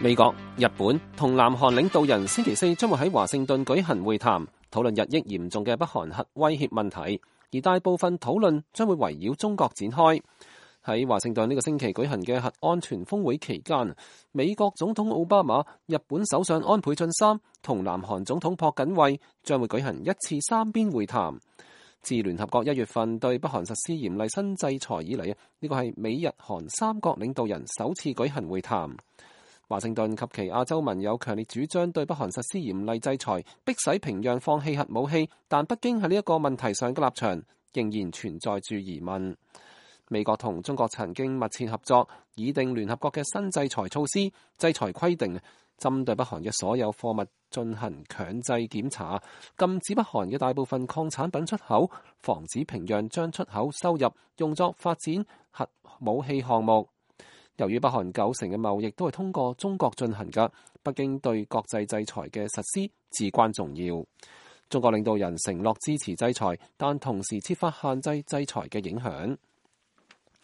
美國、日本同南韓領導人星期四將會喺華盛頓舉行會談，討論日益嚴重嘅北韓核威脅問題，而大部分討論將會圍繞中國展開。喺華盛頓呢個星期舉行嘅核安全峰會期間，美國總統奧巴馬、日本首相安倍晉三同南韓總統朴槿惠將會舉行一次三邊會談。自聯合國1月份對北韓實施嚴厲新制裁以嚟，呢個係美日韓三國領導人首次舉行會談。華盛頓及其亞洲盟友強烈主張對北韓實施嚴厲制裁，迫使平壤放棄核武器，但北京喺呢一個問題上嘅立場仍然存在住疑問。美國同中國曾經密切合作，擬定聯合國嘅新制裁措施，制裁規定針對北韓嘅所有貨物進行強制檢查，禁止北韓嘅大部分礦產品出口，防止平壤將出口收入用作發展核武器項目。由於北韓90%嘅貿易都係通過中國進行嘅，北京對國際制裁嘅實施至關重要。中國領導人承諾支持制裁，但同時設法限制制裁嘅影響。